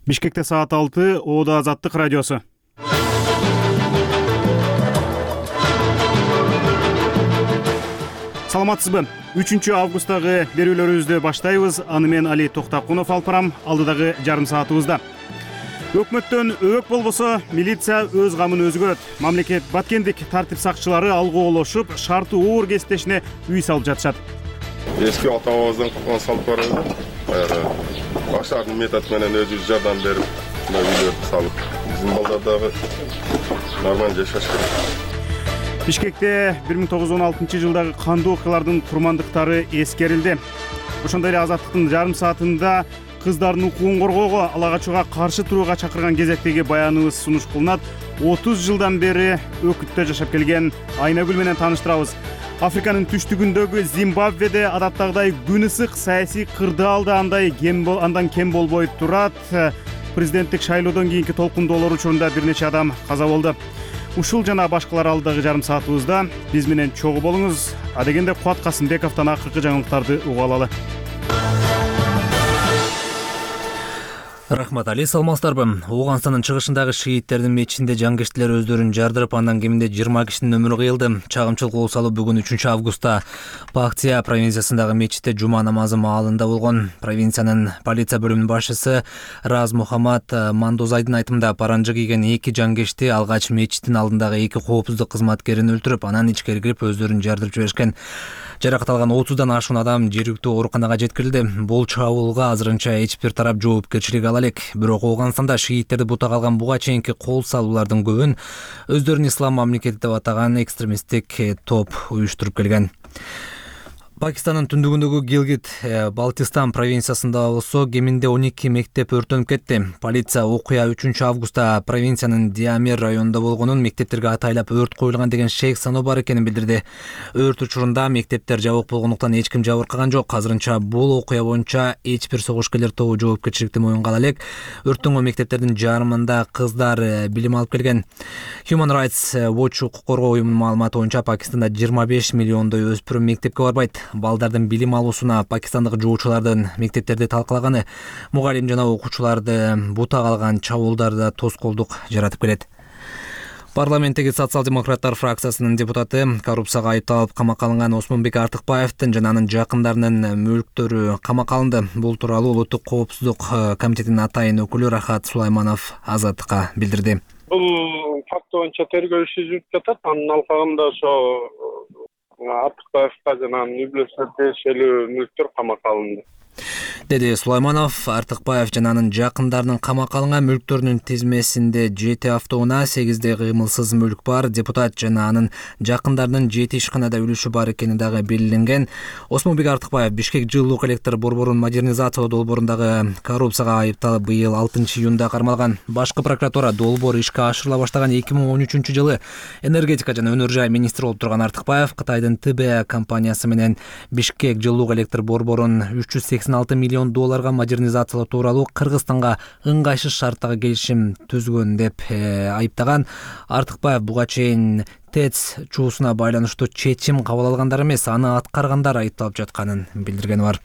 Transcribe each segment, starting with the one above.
Бишкекте саат 6, Оода Азаттык радиосу. Саламатсызбы? 3 августтагы берүүлөрүбүздү баштайбыз. Аны мен Али Токтакунов алып барам. Алдыдагы жарым саатыбызда. Өкмөттөн өбөк болбосо, милиция өз камын өзү көрөт. Мамлекет баткендик тартип сакчылары алгоолошуп, шарты оор кесиптешине үй салып жатышат. Эски ата-бабабыздан калган салып барабыз. Башардын метод менен өзүбүз жардам берип, үйлөрдү салып, биздин балдар дагы нормалдуу жашаш керек. Бишкекте 1916 жылдагы кандуу окуялардын курмандыктары эскерилди. Ошондой эле Азаттыктын жарым саатында кыздардын укугун коргоого, ала качууга каршы турууга чакырган кезектеги баяныбыз сунуш кылынат. 30 жылдан бери Өкүттө жашап келген Айнагүл менен тааныштырабыз. Африканын түштүгүндөгү Зимбабведе адаттагыдай күн ысык, саясий кырдаал да андан кем болбой турат. Президенттик шайлоодон кийинки толкундоолор учурунда бир нече адам каза болду. Ушул жана башкалар алдыдагы жарым саатыбызда биз менен чогуу болуңуз. Адегенде Кубат Касымбековдон акыркы жаңылыктарды угуп алалы. Рахмат Али, саламатсыздарбы? Ооганстандын чыгышындагы шииттердин мечитинде жангиштилер өздөрүн жардырып, андан кеминде 20 кишинин өмүрү кыйылды. Чагымчыл кол салуу бүгүн 3 августта Пактия провинциясындагы мечитте жума намазы маалында болгон. Провинциянын полиция бөлүмүнүн башчысы Раз Мухаммад Мандозайдын айтымында паранжы кийген 2 жангишти алгач мечиттин алдындагы 2 коопсуздук кызматкерин өлтүрүп, анан ичкери кирип өздөрүн жардырып жиберишкен. Жаракат алган 30дан ашуун адам жергиликтүү ооруканага жеткирилди. Бул чабуулга азырынча эч бир тарап жоопкерчилик ала элек. Бирок Ооганстанда шииттерди бутага алган буга чейинки кол салуулардын көбүн өздөрүн ислам мамлекети деп атаган экстремисттик топ уюштуруп келген. Пакистандын түндүгүндөгү Гилгит Балтистан провинциясында болсо кеминде 12 мектеп өртөнүп кетти. Полиция окуя 3 августта провинциянын Диамер районунда болгонун, мектептерге атайлап өрт коюлган деген шек саноо бар экенин билдирди. Өрт учурунда мектептер жабык болгондуктан эч ким жабыркаган жок. Азырынча бул окуя боюнча эч бир согушкерлер тобу жоопкерчиликти моюнга ала элек. Өрттөнгөн мектептердин жарымында кыздар билим алып келген. Human Rights Watch укук коргоо уюмунун маалыматы боюнча Пакистанда 25 миллиондой өспүрүм мектепке барбайт. Балдардын билим алуусуна пакистандык жоочулардын мектептерде талкалаганы, мугалим жана окуучуларды бутага алган чабуулдарда тоскоолдук жаратып келет. Парламенттеги социал-демократтар фракциясынын депутаты коррупцияга айыпталып камакка алынган Осмонбек Артыкбаевдин жана анын жакындарынын мүлктөрү камакка алынды. Бул тууралуу Улуттук коопсуздук комитетинин атайын өкүлү Рахат Сулайманов Азаттыкка билдирди. Бул факт боюнча тергөө иши жүрүп жатат. Анын алкагында ошо Артыкбаевга жана анын үй бүлөсүнө тиешелүү мүлктөр камакка алынды, деди Сулайманов. Артыкбаев жана анын жакындарынын камакка алынган мүлктөрүнүн тизмесинде 7 автоунаа, 8 кыймылсыз мүлк бар. Депутат жана анын жакындарынын 7 ишканада үлүшү бар экени дагы белгиленген. Осмонбек Артыкбаев Бишкек жылуулук электр борборун модернизациялоо долбоорундагы коррупцияга айыпталып быйыл 6 июнда кармалган. Башкы прокуратура долбоор ишке ашырыла баштаган 2013 жылы энергетика жана өнөр жай министри болуп турган Артыкбаев Кытайдын ТБ компаниясы менен Бишкек жылуулук электр борборун 386 миллион долларга модернизациялоо тууралуу Кыргызстанга ыңгайсыз шарттагы келишим түзгөн деп айыптаган. Артыкбаев буга чейин ТЭЦ чуусуна байланыштуу чечим кабыл алгандар эмес, аны аткаргандар айыпталып жатканын билдиргени бар.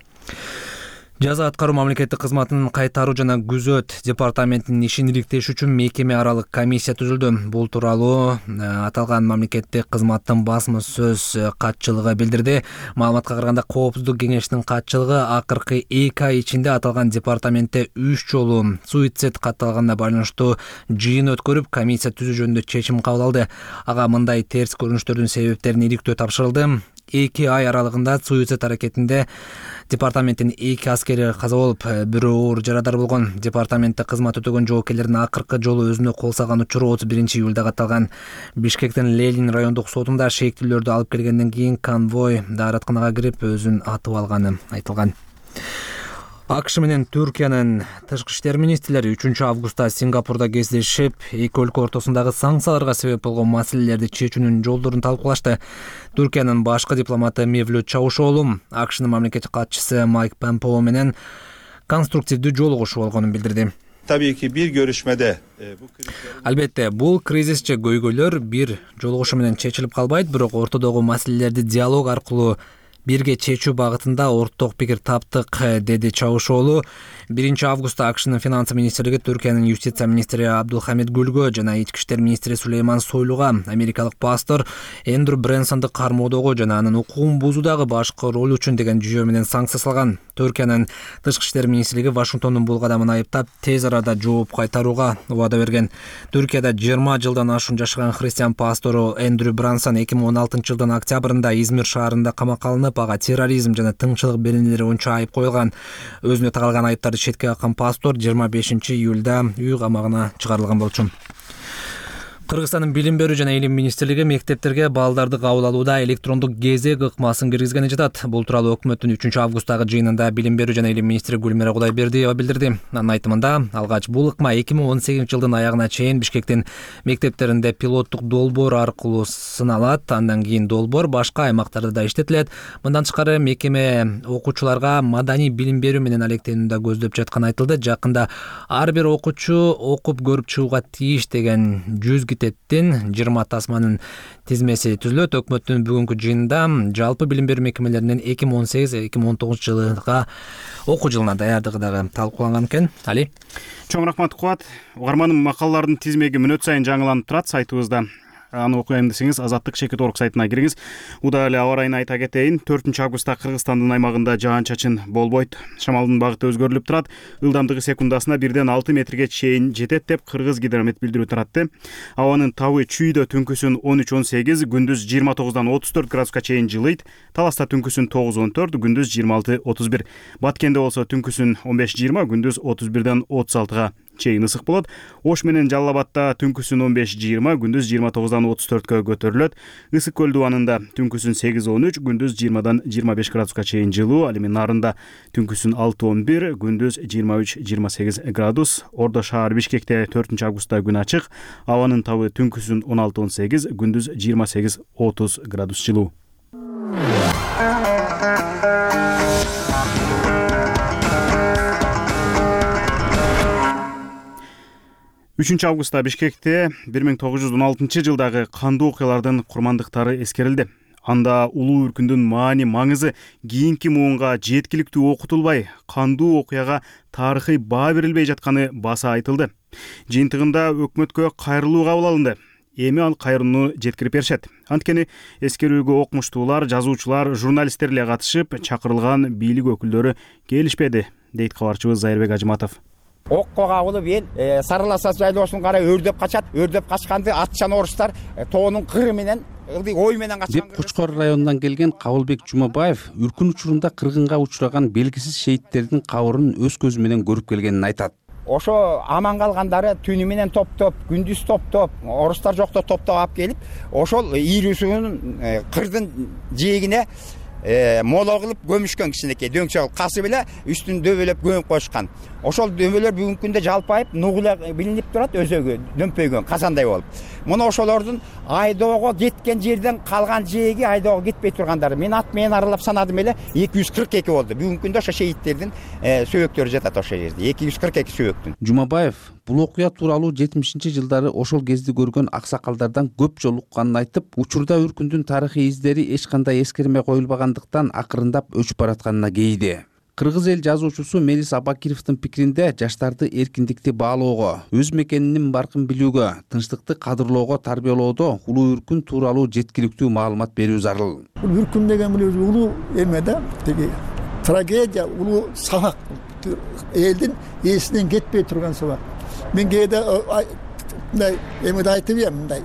Жаза аткаруу мамлекеттик кызматынын кайтаруу жана күзөт департаментинин ишин иликтеш үчүн мекеме аралык комиссия түзүлдү. Бул тууралуу аталган мамлекеттик кызматтын басма сөз катчылыгы билдирди. Маалыматка караганда коопсуздук кеңешинин катчылыгы акыркы 2 ай ичинде аталган департаментте 3 жолу суицид катталганына байланыштуу жыйын өткөрүп, комиссия түзүү жөнүндө чечим кабыл алды. Ага мындай терс көрүнүштөрдүн себептерин иликтөө тапшырылды. 2 ай аралыгында суицид аракетинде департаменттин 2 аскери каза болуп, бирөө оор жарадар болгон. Департаментте кызмат өтөгөн жоокерлердин акыркы жолу өзүнө кол салган учуру 31 июлда катталган. Бишкектин Ленин райондук сотунда шектүүлөрдү алып келгенден кийин конвой дааратканага кирип өзүн атып алганы айтылган. АКШ менен Түркиянын тышкы иштер министрлери 3 августта Сингапурда кездешип, эки өлкө ортосундагы санкцияларга себеп болгон маселелерди чечүүнүн жолдорун талкуулашты. Түркиянын башкы дипломаты Мевлют Чавушоглу АКШнын мамлекеттик катчысы Майк Помпео менен конструктивдүү жолугушуу болгонун билдирди. Tabii ki bir görüşmede Албетте, бул кризис же көйгөйлөр бир жолугушуу менен чечилип калбайт, бирок ортодогу маселелерди диалог аркылуу бирге чечүү багытында орток пикир таптык, деди Чавушоğlu. 1 августта АКШнын финансы министрлиги Түркиянын юстиция министри Абдулхамид Гүлгө жана ички иштер министри Сулейман Сойлуга америкалык пастор Эндрю Брэнсонду кармоодогу жана анын укугун бузуудагы башкы ролу үчүн деген жүйөө менен санкция салган. Түркиянын тышкы иштер министрлиги Вашингтондун бул кадамын айыптап, тез арада жооп кайтарууга убада берген. Түркияда 20 жылдан ашуун жашаган христиан пастору Эндрю Брэнсон 2016 жылдын октябрында Измир шаарында камакка алынып, ага терроризм жана тыңчылык белгилери боюнча айып коюлган. Өзүнө тагылган айыптарды четке каккан пастор 25 июлда үй камагына чыгарылган болчу. Кыргызстандын билим берүү жана илим министрлиги мектептерге балдарды кабыл алууда электрондук кезек ыкмасын киргизгени жатат. Бул тууралуу өкмөттүн 3 августтагы жыйынында билим берүү жана илим министри Гүлмира Кудайбердиева билдирди. Анын айтымында, алгач бул ыкма 2018 жылдын аягына чейин Бишкектин мектептеринде пилоттук долбоор аркылуу сыналат, андан кийин долбоор башка аймактарда да иштетилет. Мындан тышкары мекеме окуучуларга маданий билим берүү менен алектенүүнү да көздөп жатканы айтылды. Жакында ар бир окуучу окуп көрүп чыгууга тийиш деген 100 Теттин 20 тасманын тизмеси түзүлөт. Өкмөттүн бүгүнкү жыйынында жалпы билим берүү мекемелеринин 2018-2019 жылга окуу жылына даярдыгы дагы талкууланган экен. Али. Чоң рахмат Кубат. Угарманын макалалардын тизмеги мүнөт сайын жаңыланып турат сайтыбызда. Аны окуйм десеңиз Азаттык.org сайтына кириңиз. Уда эле аба ырайын айта кетейин. 4 августта Кыргызстандын аймагында жаан-чачын болбойт. Шамалдын багыты өзгөрүлүп турат. Ылдамдыгы секундасына 1-6 метрге чейин жетет деп Кыргыз гидромет билдирүү таратты. Абанын табы чүйдө түнкүсүн 13-18, күндүз 29-34 градуска чейин жылыйт. Таласта түнкүсүн 9-14, күндүз 26-31. Баткенде болсо түнкүсүн 15-20, күндүз 31-36 чейин ысык болот. Ош менен Жалал-Абадта түнкүсүн 15-20, күндүз 29-34 көтөрүлөт. Ысык көл дубанында түнкүсүн 8-13, күндүз 20-25 градуска чейин жылуу. Ал эми Нарында түнкүсүн 6-11, күндүз 23-28 градус. Ордо шаар Бишкекте 4 августта күн ачык. Абанын табы түнкүсүн 16-18, күндүз 28-30 градус жылуу. 3 августта Бишкекте 1916 жылдагы кандуу окуялардын курмандыктары эскерилди. Анда улуу үркүндүн маани маңызы кийинки муунга жеткиликтүү окутулбай, кандуу окуяга тарыхый баа берилбей жатканы баса айтылды. Жыйынтыгында өкмөткө кайрылуу кабыл алынды. Эми ал кайрууну жеткирип беришет. Анткени эскерүүгө окумуштуулар, жазуучулар, журналисттер эле катышып, чакырылган бийлик өкүлдөрү келишпеди, дейт кабарчыбыз Зайырбек Ажыматов. Окко кабылып эл Сарыласа жайлоосун карай өрдөп качат. Өрдөп качканды атчан орустар тоонун кыры менен ой менен качкан деп Кучкор районунан келген Кабылбек Жумабаев үркүн учурунда кыргынга учураган белгисиз шейттердин кабырын өз көзү менен көрүп келгенин айтат. Ошо аман калгандары түнү менен топтоп, күндүз топтоп, орустар жокто топтоп алып келип, ошол ийрүүсүнүн кырдын жээгине моло кылып көмүшкөн кичинекей дөңчө касы беле үстүн дөбөлөп көмүп коюшкан. Ошол дөбөлөр бүгүнкү күндө жалпайып нугула билинип турат, өзөгө дөмпөйгөн казандай болуп. Муну ошолордун айдоого кеткен жерден калган жээги айдоого кетпей тургандары. Мен ат менен аралап санадым эле 242 болду. Бүгүнкү күндө ошо шейттердин сөөктөрү жатат ошол жерде. 242 сөөктүн. Жумабаев бул окуя тууралуу 70-жылдары ошол кезде көргөн аксакалдардан көп жолу укканын айтып, учурда үркүндүн тарыхый издери эч кандай эскерме коюлбагандыктан акырындап өчүп баратканына кейиди. Кыргыз эл жазуучусу Мелис Абакировдун пикиринде жаштарды эркиндикти баалоого, өз мекенинин баркын билүүгө, тынчтыкты кадырлоого тарбиялоодо улуу үркүн тууралуу жеткиликтүү маалымат берүү зарыл. Бул үркүн деген бул улуу эме да, теги трагедия, улуу сабак, элдин эсинен кетпей турган сабак. Мен кээде мындай эмеди айтып эм, мындай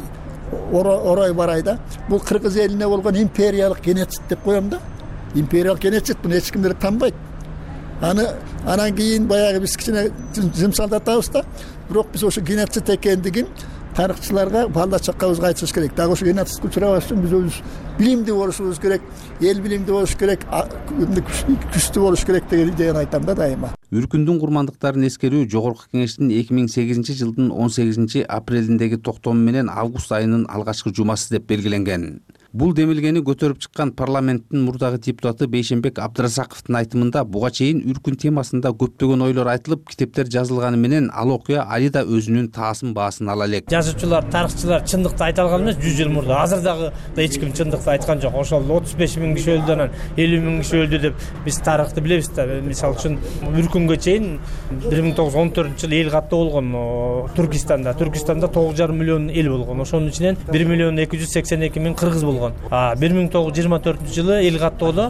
орой барай да. Бул кыргыз элине болгон империялык геноцид деп коем да. Империялык геноцид буну эч кимдер танбайт. Анан кийин баягы биз кичине жымсалдатабыз да. Бирок биз ошо геноцид экендигин тарыхчыларга, балда чаккабызга айтышыбыз керек. Дагы ошо геноцидке учурабаш үчүн биз өзүбүз билимдүү болушубуз керек, эл билимдүү болуш керек, күчтүү болуш керек деген идеяны айтам да дайыма. Үркүндүн курмандыктарын эскерүү Жогорку Кеңештин 2008 жылдын 18 апрелиндеги токтому менен август айынын алгачкы жумасы деп белгиленген. Бул демилгени көтөрүп чыккан парламенттин мурдагы депутаты Бейшенбек Абдыразаковдун айтымында буга чейин үркүн темасында көптөгөн ойлор айтылып, китептер жазылганы менен ал окуя али да өзүнүн таасын баасын ала элек. Жазуучулар, тарыхчылар чындыкты айта алган эмес 100 жыл мурда. Азыр дагы эч ким чындыкты айткан жок. Ошол 35 миң киши өлдү, анан 50 миң киши өлдү деп биз тарыхты билебиз да. Мисалы үчүн үркүнгө чейин 1914-жылы эл каттоо болгон Түркистанда. Түркистанда 9,5 миллион эл болгон. Ошонун ичинен 1,282 миң кыргыз болгон. 1924-жылы эл каттоодо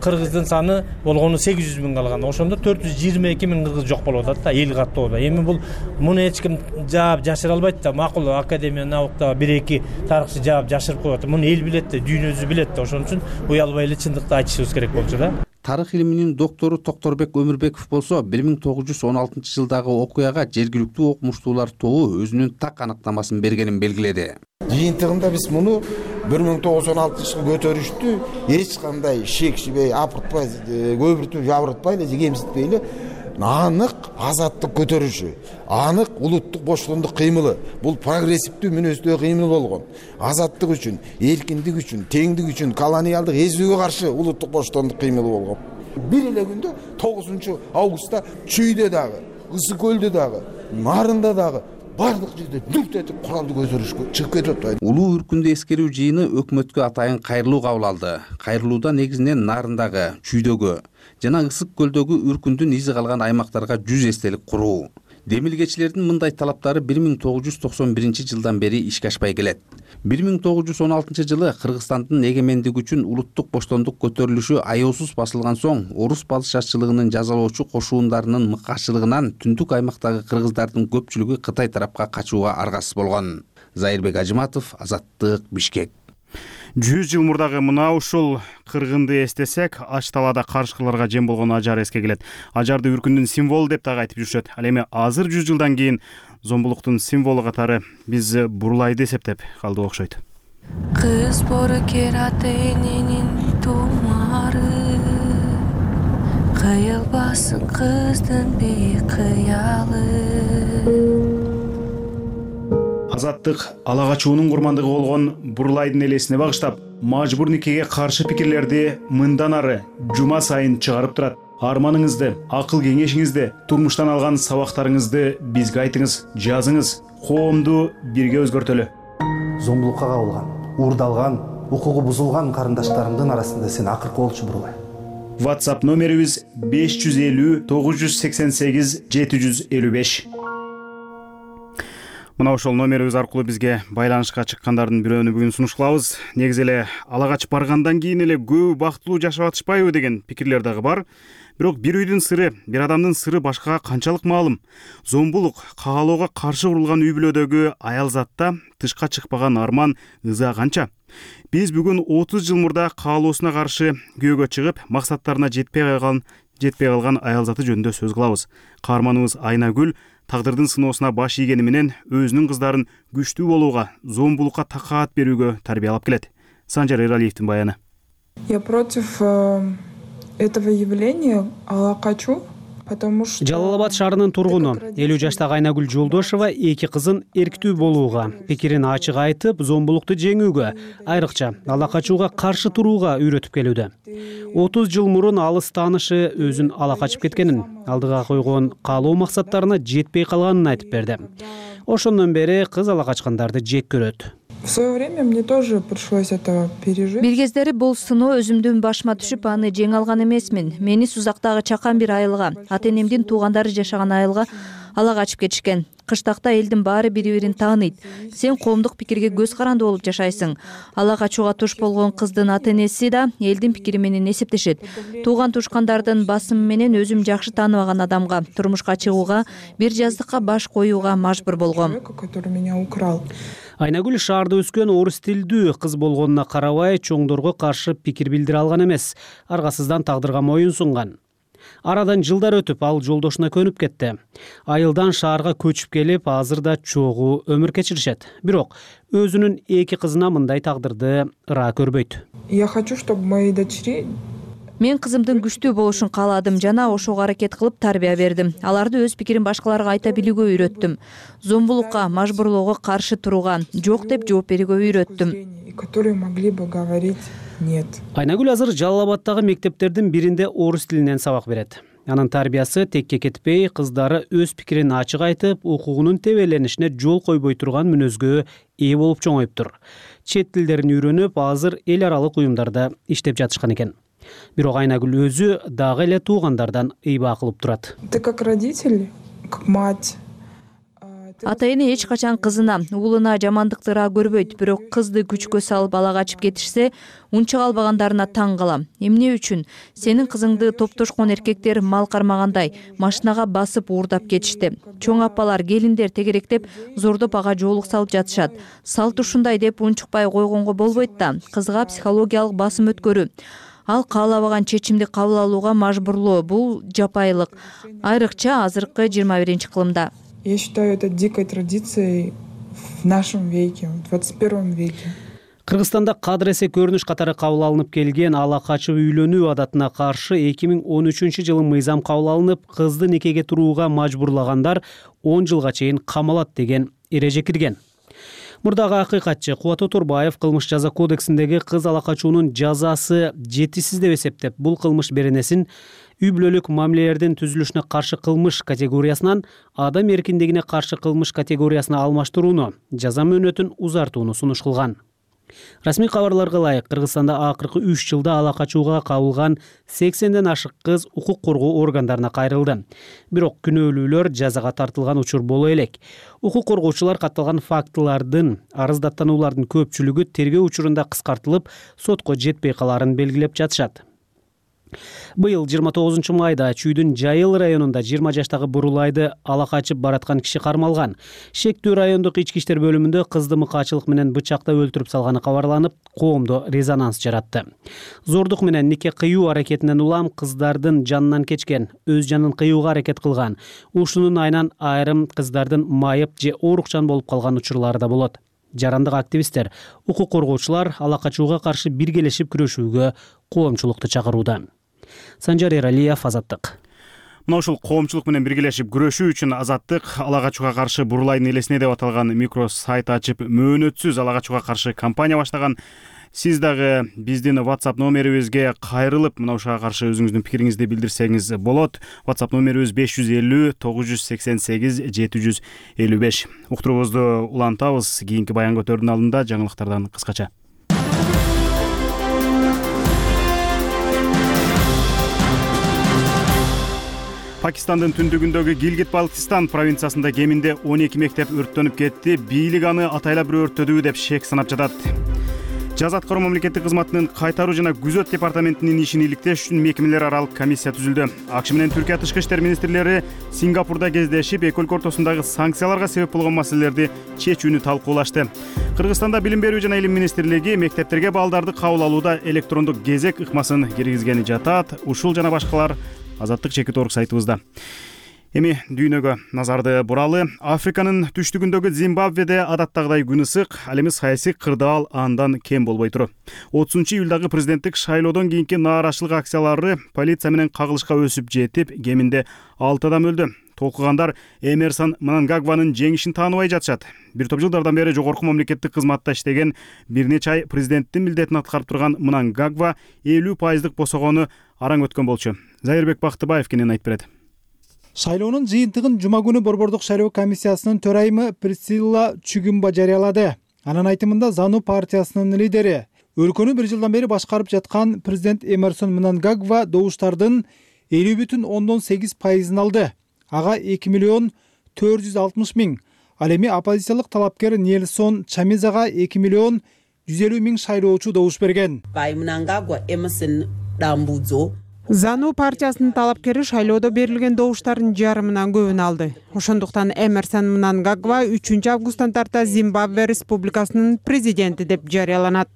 кыргыздын саны болгону 800 миң калган. Ошондо 422 миң кыргыз жок болуп атат да эл каттоодо. Эми бул муну эч ким жаап жашыра албайт да. Макул академия науктагы 1-2 тарыхчы жаап жашырып коет. Муну эл билет да, дүйнө өзү билет да. Ошон үчүн уялбай эле чындыкты айтышыбыз керек болчу да. Тарых илиминин доктору Токторбек Өмүрбеков болсо 1916-жылдагы окуяга жергиликтүү окумуштуулар тобу өзүнүн так аныктамасын бергенин белгиледи. Жыйынтыгында биз муну 1916-жылы көтөрүштү эч кандай шек шибей апыртпай, көбүртүп жабыртпай эле, кемситпей эле анык азаттык көтөрүшү, анык улуттук боштондук кыймылы. Бул прогрессивдүү мүнөздүү кыймыл болгон. Азаттык үчүн, эркиндик үчүн, теңдик үчүн, колониалдык эзүүгө каршы улуттук боштондук кыймылы болгон. Бир эле күндө 9-августта Чүйдө дагы, Ысык көлдө дагы, Нарында дагы бардык жерде дүрт этип куралды көтөрүшкө чыгып кетип. Улуу үркүндү эскерүү жыйыны өкмөткө атайын кайрылуу кабыл алды. Кайрылууда негизинен Нарындагы, Чүйдөгү жана Ысык көлдөгү үркүндүн изи калган аймактарга 100 эстелик куруу. Демилгечилердин мындай талаптары 1991-жылдан бери ишке ашпай келет. 1916-жылы Кыргызстандын эгемендиги үчүн улуттук боштондук көтөрүлүшү аеосуз басылган соң, орус падышачылыгынын жазалоочу кошуундарынын мыккачылыгынан түндүк аймактагы кыргыздардын көпчүлүгү Кытай тарапка качууга аргасыз болгон. Зайырбек Ажыматов, Азаттык, Бишкек. 100 жыл мурдагы мына ушул кыргынды эстесек, ач талаада карышкыларга жем болгон ажар эске келет. Ажарды үркүндүн символу деп дагы айтып жүрүшөт. Ал эми азыр 100 жылдан кийин зомбулуктун символу катары биз бурлайды эсептеп калдык окшойт. Кыз бору кераты эненин тумары, кыйылбасын кыздын бейкыялы. Азаттык ала качуунун курмандыгы болгон Бурлайдын элесине багыштап, мажбур никеге каршы пикирлерди мындан ары жума сайын чыгарып турат. Арманыңызды, акыл кеңешиңизди, турмуштан алган сабактарыңызды бизге айтыңыз, жазыңыз. Коомду бирге өзгөртөлү. Зомбулукка кабылган, уурдалган, укугу бузулган карындаштарымдын арасында сен акыркы болчу Бурлай. WhatsApp номерибиз 550 988 755. Мына ошол номерибиз аркылуу бизге байланышка чыккандардын бирөөнү бүгүн сунуш кылабыз. Негизи эле ала качып баргандан кийин эле көбү бактылуу жашап атышпайбы деген пикирлер дагы бар. Бирок бир үйдүн сыры, бир адамдын сыры башкага канчалык маалым? Зомбулук, каалоого каршы курулган үй бүлөдөгү аял затта тышка чыкпаган арман, ыза канча? Биз бүгүн 30 жыл мурда каалоосуна каршы күйөөгө чыгып, максаттарына жетпей калган аял заты жөнүндө сөз кылабыз. Каарманыбыз Айнагүл тагдырдын сыноосуна баш ийгени менен өзүнүн кыздарын күчтүү болууга, зомбулукка такаат берүүгө тарбиялап келет. Санжар Эралиевдин баяны. Я против этого явления ала качу, потому что Жалал Абад шаарынын тургуну 50 жаштагы Айнагүл Жолдошова эки кызын эрктүү болууга, пикирин ачык айтып, зомбулукту жеңүүгө, айрыкча ала качууга каршы турууга үйрөтүп келүүдө. 30 жыл мурун алыс таанышы өзүн ала качып кеткенин, алдыга койгон каалоо максаттарына жетпей калганын айтып берди. Ошондон бери кыз ала качкандарды жек көрөт. В свое время мне тоже пришлось это пережить. Бир кездери бул сыноо өзүмдүн башыма түшүп, аны жеңе алган эмесмин. Мени Сузактагы чакан бир айылга, ата-энемдин туугандары жашаган айылга ала качып кетишкен. Кыштакта элдин баары бири-бирин тааныйт. Сен коомдук пикирге көз каранды болуп жашайсың. Ала качууга туш болгон кыздын ата-энеси да элдин пикири менен эсептешет. Тууган тушкандардын басымы менен өзүм жакшы тааныбаган адамга турмушка чыгууга, бир жаздыкка баш коюуга мажбур болгом. Который меня украл. Айнагүл шаарда өскөн орус тилдүү кыз болгонуна карабай, чоңдорго каршы пикир билдире алган эмес. Аргасыздан тагдырга моюн сунган. Арадан жылдар өтүп, ал жолдошуна көнүп кетти. Айылдан шаарга көчүп келип, азыр да чогуу өмүр кечиришет. Бирок өзүнүн эки кызына мындай тагдырды ыраа көрбөйт. Я хочу, чтобы мои дочери Мен кызымдын күчтүү болушун кааладым жана ошого аракет кылып тарбия бердим. Аларды өз пикирин башкаларга айта билүүгө үйрөттүм. Зомбулукка, мажбурлоого каршы турууга, жок деп жооп берүүгө үйрөттүм. которые могли бы говорить нет. Айнагүл азыр Жалал Абадтагы мектептердин биринде орус тилинен сабак берет. Анын тарбиясы текке кетпей, кыздары өз пикирин ачык айтып, укугунун тебеленишине жол койбой турган мүнөзгө ээ болуп чоңоюптур. Чет тилдерин үйрөнүп, азыр эл аралык уюмдарда иштеп жатышкан экен. Бирок Айнагүл өзү дагы эле туугандардан ыйбаа кылып турат. Ты как родитель, как мать. Ата эне эч качан кызына, уулуна жамандыктыра көрбөйт, бирок кызды күчкө салып ала качып кетишсе, унча албагандарына таң калам. Эмне үчүн? Сенин кызыңды топтошкон эркектер мал кармагандай машинага басып уурдап кетишти. Чоң апалар, келиндер тегеректеп, зордоп ага жоолук салып жатышат. Салт ушундай деп унчукпай койгонго болбойт да. Кызга психологиялык басым өткөрүү. Ал каалабаган чечимди кабыл алууга мажбурлоо. Бул жапайылык. Айрыкча азыркы 21-кылымда. Я считаю это дикой традицией в нашем веке, в 21 веке. Кыргызстанда кадыр эсе көрүнүш катары кабыл алынып келген ала качып үйлөнүү адатына каршы 2013-жылы мыйзам кабыл алынып, кызды никеге турууга мажбурлагандар 10 жылга чейин камалат деген эреже кирген. Мурдагы акыйкатчы Кубат Оторбаев кылмыш жаза кодексиндеги кыз ала качуунун жазасы жетишсиз деп эсептеп, бул кылмыш беренесин үй бүлөлүк мамилелердин түзүлүшүнө каршы кылмыш категориясынан адам эркиндигине каршы кылмыш категориясына алмаштырууну, жаза мөөнөтүн узартууну сунуш кылган. Расмий кабарларга ылайык, Кыргызстанда акыркы 3 жылда ала качууга кабылган 80ден ашык кыз укук коргоо органдарына кайрылды. Бирок күнөөлүүлөр жазага тартылган учур боло элек. Укук коргоочулар катталган фактылардын, арыздаттануулардын көпчүлүгү тергөө учурунда кыскартылып, сотко жетпей калаарын белгилеп жатышат. Быйыл 29 майда Чүйдүн Жайыл районунда 20 жаштагы бурулайды ала качып бараткан киши кармалган. Шектүү райондук ички иштер бөлүмүндө кызды мыкаачылык менен бычактап өлтүрүп салганы кабарланып, коомдо резонанс жаратты. Зордук менен нике кыюу аракетинен улам кыздардын жанынан кечкен, өз жанын кыюуга аракет кылган. Ушунун айынан айрым кыздардын майып же оорукчан болуп калган учурлары да болот. Жарандык активисттер, укук коргоочулар ала качууга каршы биргелешип күрөшүүгө коомчулукту чакырууда. Санжар Эралиев, Азаттык. Мына ушул коомчулук менен биргелешип күрөшүү үчүн Азаттык ала качууга каршы бурулайдын элесине деп аталган микро сайт ачып, мөөнөтсүз ала качууга каршы кампания баштаган. Сиз дагы биздин WhatsApp номерибизге кайрылып, мына ушуга каршы өзүңүздүн пикириңизди билдирсеңиз болот. WhatsApp номерибиз 550 988 755. Уктуруубузду улантабыз. Кийинки баян көтөрүүнүн алдында жаңылыктардан кыскача. Пакистандын түндүгүндөгү Гилгит-Балтистан провинциясында кеминде 12 мектеп өрттөнүп кетти. Бийлик аны атайлап бир өрттөдү деп шек санап жатат. Жаза аткаруу мамлекеттик кызматынын кайтаруу жана күзөт департаментинин ишин иликтеш үчүн мекемелер аралык комиссия түзүлдү. АКШ менен Түркия тышкы иштер министрлери Сингапурда кездешип, эки өлкө ортосундагы санкцияларга себеп болгон маселелерди чечүүнү талкуулашты. Кыргызстанда Билим берүү жана илим министрлиги мектептерге балдарды кабыл алууда электрондук кезек ыкмасын киргизгени жатат. Ушул жана башкалар Азаттык Чекит.орг сайтыбызда. Эми дүйнөгө назарды буралы. Африканын түштүгүндөгү Зимбабведе адаттагыдай күн ысык, ал эми саясий кырдаал андан кем болбой тур. 30-июлдагы президенттик шайлоодон кийинки нааразычылык акциялары полиция менен кагылышка өсүп жетип, кеминде 6 адам өлдү. Толкугандар Эмерсон Мнангагванын жеңишин тааныбай жатышат. Бир топ жылдардан бери жогорку мамлекеттик кызматта иштеген, бир нече ай президенттин милдетин аткарып турган Мнангагва 50% босогону араң өткөн болчу. Зайырбек Бактыбаев кенен айтып берет. Шайлоонун жыйынтыгын жума күнү Борбордук шайлоо комиссиясынын төрайымы Присцилла Чүгүмба жарыялады. Анын айтымында Зану партиясынын лидери, өлкөнү бир жылдан бери башкарып жаткан президент Эмерсон Мнангагва добуштардын 50,8% алды. Ага 2,460,000. Ал эми оппозициялык талапкер Нельсон Чамизага 2,150,000 шайлоочу добуш берген. Зану партиясынын талапкери шайлоодо берилген добуштардын жарымынан көбүн алды. Ошондуктан Эмерсон Мнангагва 3 августтан тарта Зимбабве республикасынын президенти деп жарыяланат.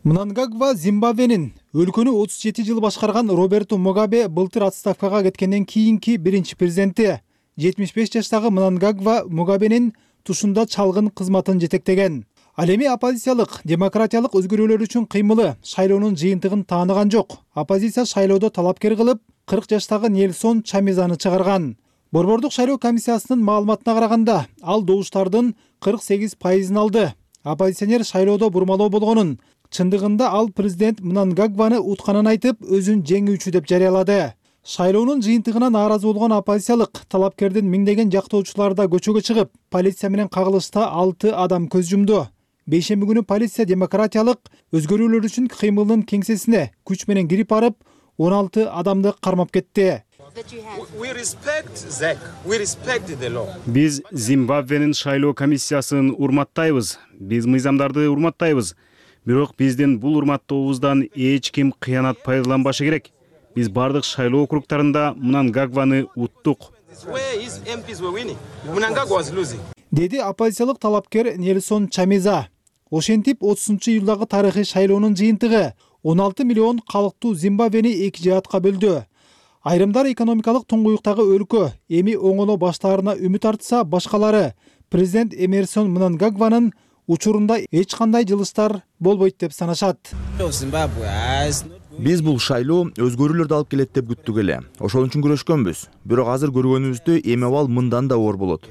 Мнангагва Зимбабвенин өлкөнү 37 жыл башкарган Роберто Мугабе былтыр отставкага кеткенден кийинки биринчи президенти. 75 жаштагы Мнангагва Мугабенин тушунда чалгын кызматын жетектеген. Ал эми оппозициялык демократиялык өзгөрүүлөр үчүн кыймылы шайлоонун жыйынтыгын тааныган жок. Оппозиция шайлоодо талапкер кылып 40 жаштагы Нельсон Чамизаны чыгарган. Борбордук шайлоо комиссиясынын маалыматына караганда, ал добуштардын 48% алды. Оппозиционер шайлоодо бурмалоо болгонун, чындыгында ал президент Мнангагваны утканын айтып, өзүн жеңүүчү деп жарыялады. Шайлоонун жыйынтыгына нааразы болгон оппозициялык талапкердин миңдеген жактоочулары да көчөгө чыгып, полиция менен кагылышта 6 адам көз жумду. Бейшемби күнү полиция демократиялык өзгөрүүлөр үчүн кыймылдын кеңсесине күч менен кирип барып, 16 адамды кармап кетти. Биз Зимбабвенин шайлоо комиссиясын урматтайбыз. Биз мыйзамдарды урматтайбыз. Бирок биздин бул урматтообуздан эч ким кыянат пайдаланбашы керек. Биз бардык шайлоо округтарында Мнангагваны уттук. Деди оппозициялык талапкер Нельсон Чамиза. Ошентип 30-июлдагы тарыхый шайлоонун жыйынтыгы 16 миллион калктуу Зимбабвени эки жаатка бөлдү. Айрымдар экономикалык туңгуюктагы өлкө эми оңоло баштаарына үмүт артса, башкалары президент Эмерсон Мнангагванын учурунда эч кандай жылыштар болбойт деп санашат. Биз бул шайлоо өзгөрүүлөрдү алып келет деп күттүк эле. Ошол үчүн күрөшкөнбүз. Бирок азыр көргөнүбүздө эми абал мындан да оор болот.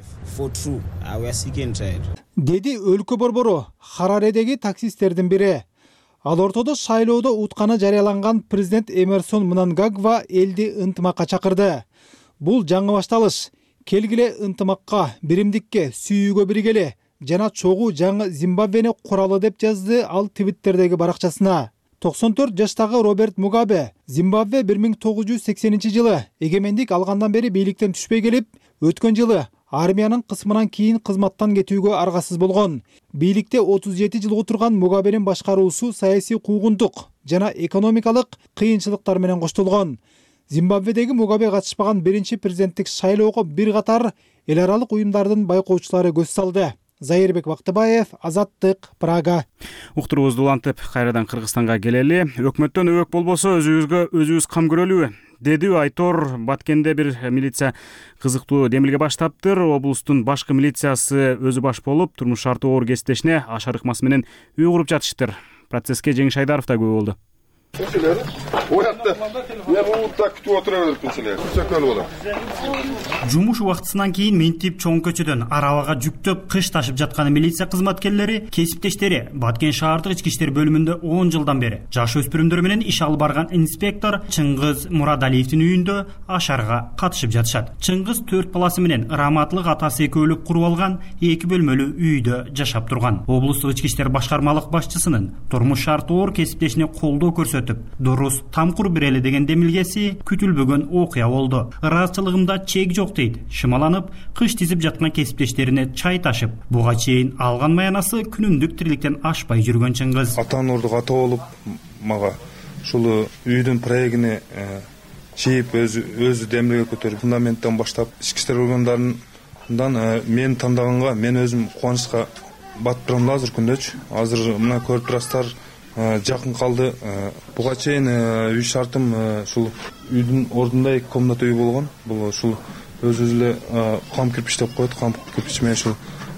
Деди өлкө борбору Хараредеги таксисттердин бири. Ал ортодо шайлоодо утканы жарыяланган президент Эмерсон Мнангагва элди ынтымакка чакырды. Бул жаңы башталыш. Келгиле ынтымакка, биримдикке, сүйүүгө биргеле жана чогуу жаңы Зимбабвени куралы деп жазды ал Твиттердеги баракчасына. 94 жаштагы Роберт Мугабе Зимбабве 1980-жылы эгемендик алгандан бери бийликтен түшпөй келип, өткөн жылы армиянын кысмынан кийин кызматтан кетүүгө аргасыз болгон. Бийликте 37 жыл отурган Мугабенин башкаруусу саясий куугунтук жана экономикалык кыйынчылыктар менен коштолгон. Зимбабведеги Мугабе катышпаган биринчи президенттик шайлоого бир катар эл аралык уюмдардын байкоочулары көз салды. Зайырбек Бактыбаев, Азаттык, Прага. Уктуруубузду улантып, кайрадан Кыргызстанга келели. Өкмөттөн өбөк болбосо өзүбүзгө өзүбүз кам көрөлүбү? Деди Айтор. Баткенде бир милиция кызыктуу демилге баштаптыр. Облустун башкы милициясы өзү баш болуп, турмуш шарты оор кесиптешине ашар ыкмасы менен үй куруп жатыштыр. Процесске Жеңиш Айдаров да күбө болду. Жумуш убактысынан кийин Ментип чоң көчөдөн арабага жүктөп кыш ташып жаткан милиция кызматкерлери, кесиптештери Баткен шаардык ички иштер бөлүмүндө 10 жылдан бери жаш өспүрүмдөр менен иш алып барган инспектор Чыңгыз Мурадалиевдин үйүндө ашарга катышып жатышат. Чыңгыз 4 баласы менен раматлык атасы экөөлүк куруп алган 2 бөлмөлүү үйдө жашап турган. Облустук ички иштер башкармалык башчысынын турмуш шарты оор кесиптешине колдоо көрсөтүп, дурус тамкур берели деген демилгеси күтүлбөгөн окуя болду. Ыраазычылыгымда чек жок дейт. Шымаланып, кыш тизип жаткан кесиптештерине чай ташып, буга чейин алган маянасы күнүмдүк тириликтен ашпай жүргөн Чыңгыз. Ата-аналардык ата болуп, мага ушул үйдүн проектини чийип, өзү демилге көтөрүп, фундаменттен баштап, ички иштер органдарынан мени тандаганга мен өзүм кубанычка батып турам азыр күндөчү. Азыр мына көрүп турасыздар, жакын калды. Буга чейин үй шартым ушул үйдүн ордунда 2 комната үй болгон. Бул ушул өзүбүз эле кам кирпич деп коет. Кам кирпич менен ушул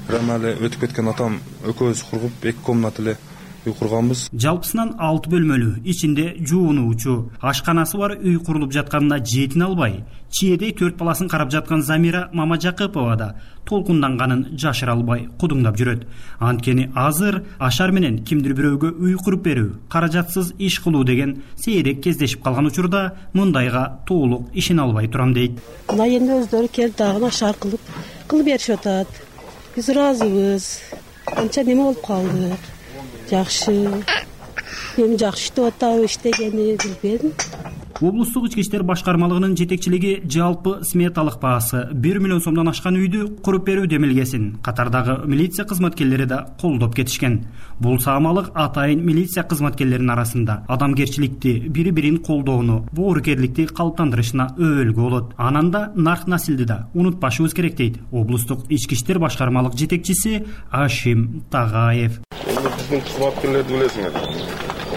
рамали өтүп кеткен атам экөөбүз кургуп 2 комната эле үй курганбыз. Жалпысынан 6 бөлмөлүү, ичинде жуунуучу, ашканасы бар үй курулуп жатканына жетине албай, чиедей 4 баласын карап жаткан Замира Мамажакыпова да толкунданганын жашыра албай кудуңдап жүрөт. Анткени азыр ашар менен кимдир бирөөгө үй куруп берүү, каражатсыз иш кылуу деген сейрек кездешип калган учурда мындайга толук ишине албай турам дейт. Мына эми өздөрү келип дагы ашар кылып беришип атат. Биз ыраазыбыз. Анча неме болуп калдык. Жакшы. Эми жакшы иштеп атабы, иштегени билбедим. Облустук ички иштер башкармалыгынын жетекчилиги жалпы сметалык баасы 1 миллион сомдон ашкан үйдү куруп берүү демилгесин катардагы милиция кызматкерлери да колдоп кетишкен. Бул саамалык атайын милиция кызматкерлеринин арасында адамгерчиликти, бири-бирин колдоону, боорукерликти калыптандырышына өбөлгү болот. Анан да нарк насилди да унутпашыбыз керек дейт облустук ички иштер башкармалык жетекчиси Ашим Тагаев. Биздин кызматкерлерди билесиңер.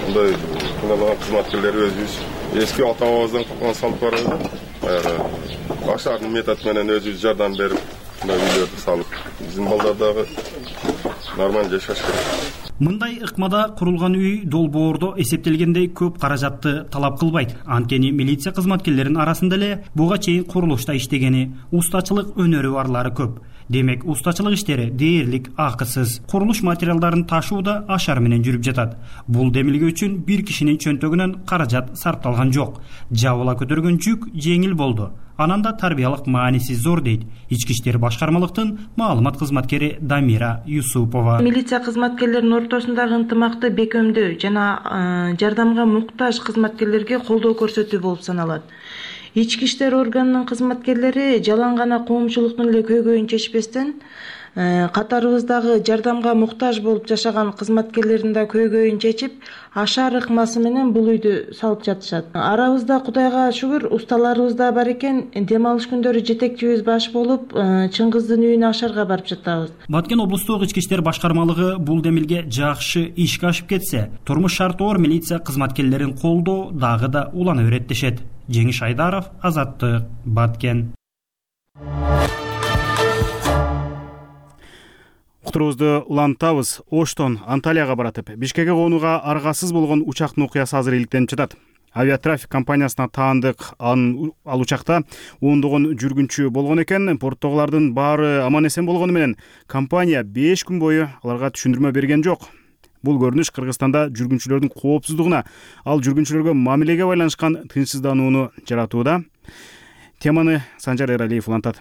Мындай кыналаган кызматкерлер өзүбүз эски ата-бабабыздан калган салып барабыз. Баягы ашардын метод менен өзүбүз жардам берип, мындай үйлөрдү салып, биздин балдар дагы нормалдуу жашаш керек. Мындай ыкмада курулган үй долбоордо эсептелгендей көп каражатты талап кылбайт. Анткени милиция кызматкерлеринин арасында эле буга чейин курулушта иштегени, устачылык өнөрү барлары көп. Демек, устачылык иштери дээрлик акысыз. Курулуш материалдарын ташуу да ашар менен жүрүп жатат. Бул демилге үчүн бир кишинин чөнтөгүнөн каражат сарпталган жок. Жабыла көтөргөн жүк жеңил болду. Анан да тарбиялык мааниси зор дейт ички иштер башкармалыктын маалымат кызматкери Дамира Юсупова. Милиция кызматкерлеринин ортосундагы ынтымакты бекемдөө жана жардамга муктаж кызматкерлерге колдоо көрсөтүү болуп саналат. Ички иштер органынын кызматкерлери жалаң гана коомчулуктун эле көйгөйүн чечпестен, катарыбыздагы жардамга муктаж болуп жашаган кызматкерлердин да көйгөйүн чечип, ашар ыкмасы менен бул үйдү салып жатышат. Арабызда Кудайга шүгүр усталарыбыз да бар экен. Дем алыш күндөрү жетекчибиз баш болуп, Чыңгыздын үйүнө ашарга барып жатабыз. Баткен облустук ички иштер башкармалыгы бул демилге жакшы ишке ашып кетсе, турмуш шарты оор милиция кызматкерлерин колдоо дагы да улана берет дешет. Жеңиш Айдаров, Азаттык, Баткен. Уктурубузду улантабыз. Оштон Анталияга баратып, Бишкекке конууга аргасыз болгон учактын окуясы азыр иликтенип жатат. Авиатрафик компаниясына таандык ал учакта ондогон жүргүнчү болгон экен. Порттогулардын баары аман эсен болгону менен компания 5 күн бою аларга түшүндүрмө берген жок. Бул көрүнүш Кыргызстанда жүргүнчүлөрдүн коопсуздугуна, ал жүргүнчүлөргө мамилеге байланышкан тынчсызданууну жаратууда. Теманы Санжар Эралиев улантат.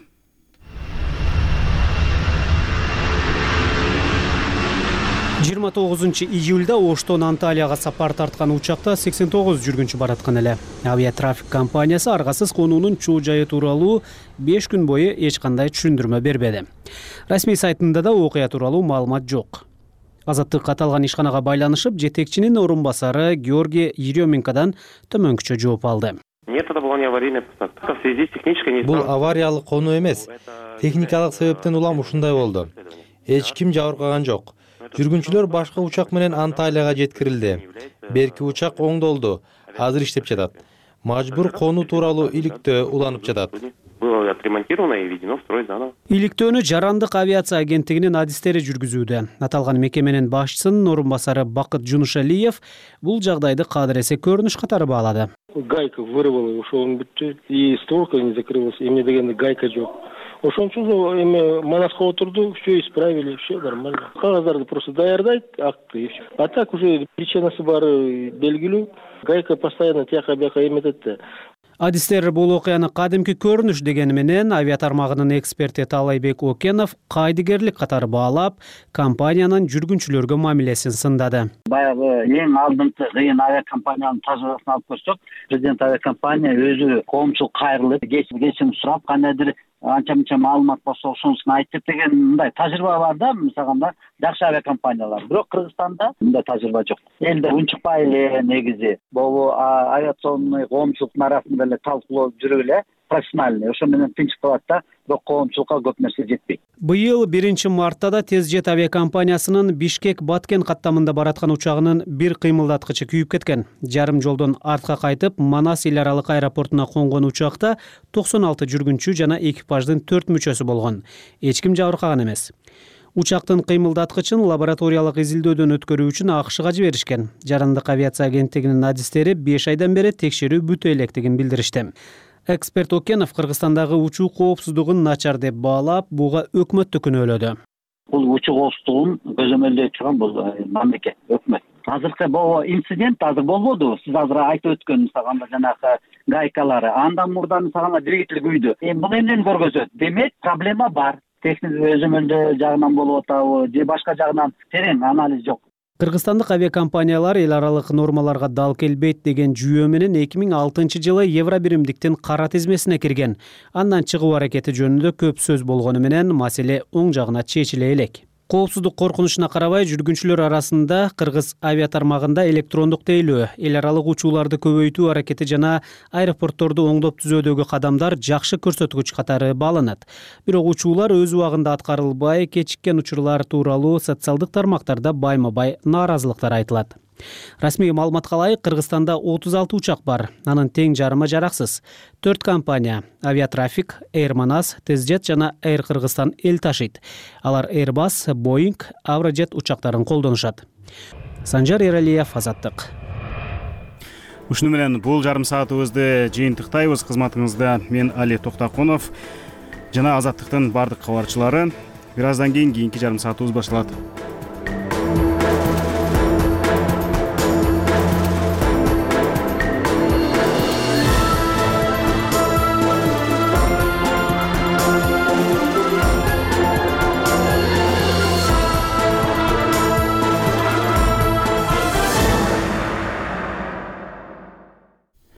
жыйырма 9-июлда Оштон Анталияга сапар тарткан учакта 89 жүргүнчү бараткан эле. Авиатрафик компаниясы аргасыз конуунун чоо жайы тууралуу 5 күн бою эч кандай түшүндүрмө бербеди. Расмий сайтында да окуя тууралуу маалымат жок. Азаттык аталган ишканага байланышып, жетекчинин орун басары Георгий Еременкодан төмөнкүчө жооп алды. Бул авариялык конуу эмес. Техникалык себептен улам ушундай болду. Эч ким жабыркаган жок. Жүргүнчүлөр башка учак менен Анталияга жеткирилди. Берки учак оңдолду. Азыр иштеп жатат. Мажбур конуу тууралуу иликтөө уланып жатат. Иликтөөнү Жарандык авиация агенттигинин адистери жүргүзүүдө. Аталган мекеменин башчысынын орун басары Бакыт Жунушалиев бул жагдайды кадыресе көрүнүш катары баалады. Гайка вырвала, ошол бүттү, и створка не закрылась, эмне дегенде гайка жок. Ошон үчүн эми манаска отурду, все исправили, все нормально. Кагаздарды просто даярдайт, акты и все. А так уже причинасы баары белгилүү. Гайка постоянно тияка бияка эметет да. Адистер бул окуяны кадимки көрүнүш дегени менен авиатармагынын эксперти Талайбек Окенов кайдыгерлик катары баалап, компаниянын жүргүнчүлөргө мамилесин сындады. Баягы эң алдыңкы кыйын авиакомпаниянын тажрыйбасын алып көрсөк, президент авиакомпания өзү коомчулук кайрылып, кечим сурап, кандайдыр анча-мынча маалымат болсо ошонусун айтып деген мындай тажрыйба бар да, мисалга жакшы авиакомпаниялар. Бирок Кыргызстанда мындай тажрыйба жок. Элде унчукпай эле негизи могу авиационный коомчулуктун арасында эле талкуулоо жүрүп эле профессиональный, ошо менен тынчып калат да, бирок коомчулукка көп нерсе жетпейт. Быйыл 1-мартта да Тезжет авиакомпаниясынын Бишкек-Баткен каттамында бараткан учагынын бир кыймылдаткычы күйүп кеткен. Жарым жолдон артка кайтып, Манас эл аралык аэропортуна конгон учакта 96 жүргүнчү жана экипаждын 4 мүчөсү болгон. Эч ким жабыркаган эмес. Учактын кыймылдаткычын лабораториялык изилдөөдөн өткөрүү үчүн АКШга жиберишкен. Жарандык авиация агенттигинин адистери 5 айдан бери текшерүү бүтө электигин билдиришти. Эксперт Окенов Кыргызстандагы учуу коопсуздугун начар деп баалап, буга өкмөттү күнөөлөдү. Бул учуу коопсуздугун көзөмөлдөй турган бул мамлекет, өкмөт. Азыркы бул инцидент азыр болбоду. Сиз азыр айтып өткөн мисалга жанагы гайкалары, андан мурда мисалга двигатель күйдү. Бул эмнени көргөзөт? Демек, проблема бар. Техник өзөмөлдөө жагынан болуп атабы, же башка жагынан терең анализ жок. Кыргызстандык авиакомпаниялар эл аралык нормаларга дал келбейт деген жүйөө менен 2006-жылы Евробиримдиктин кара тизмесине кирген. Андан чыгуу аракети жөнүндө көп сөз болгону менен маселе оң жагына чечиле элек. Коопсуздук коркунучуна карабай, жүргүнчүлөр арасында Кыргыз авиатармагында электрондук тейлөө, эл аралык учууларды көбөйтүү аракети жана аэропортторду оңдоп түзөөдөгү кадамдар жакшы көрсөткүч катары бааланат. Бирок учуулар өз убагында аткарылбай, кечиккен учурлар тууралуу социалдык тармактарда байма-бай нааразылыктар айтылат. Расмий маалыматка ылайык, Кыргызстанда 36 учак бар. Анын тең жарымы жараксыз. 4 компания — Авиатрафик, Air Manas, Тезжет жана Air Кыргызстан эл ташыйт. Алар Airbus, Boeing, Avrojet учактарын колдонушат. Санжар Эралиев, Азаттык. Ушуну менен бул жарым саатыбызды жыйынтыктайбыз. Кызматыңызда мен Али Токтокунов жана Азаттыктын бардык кабарчылары. Бир аздан кийин кийинки жарым саатыбыз башталат.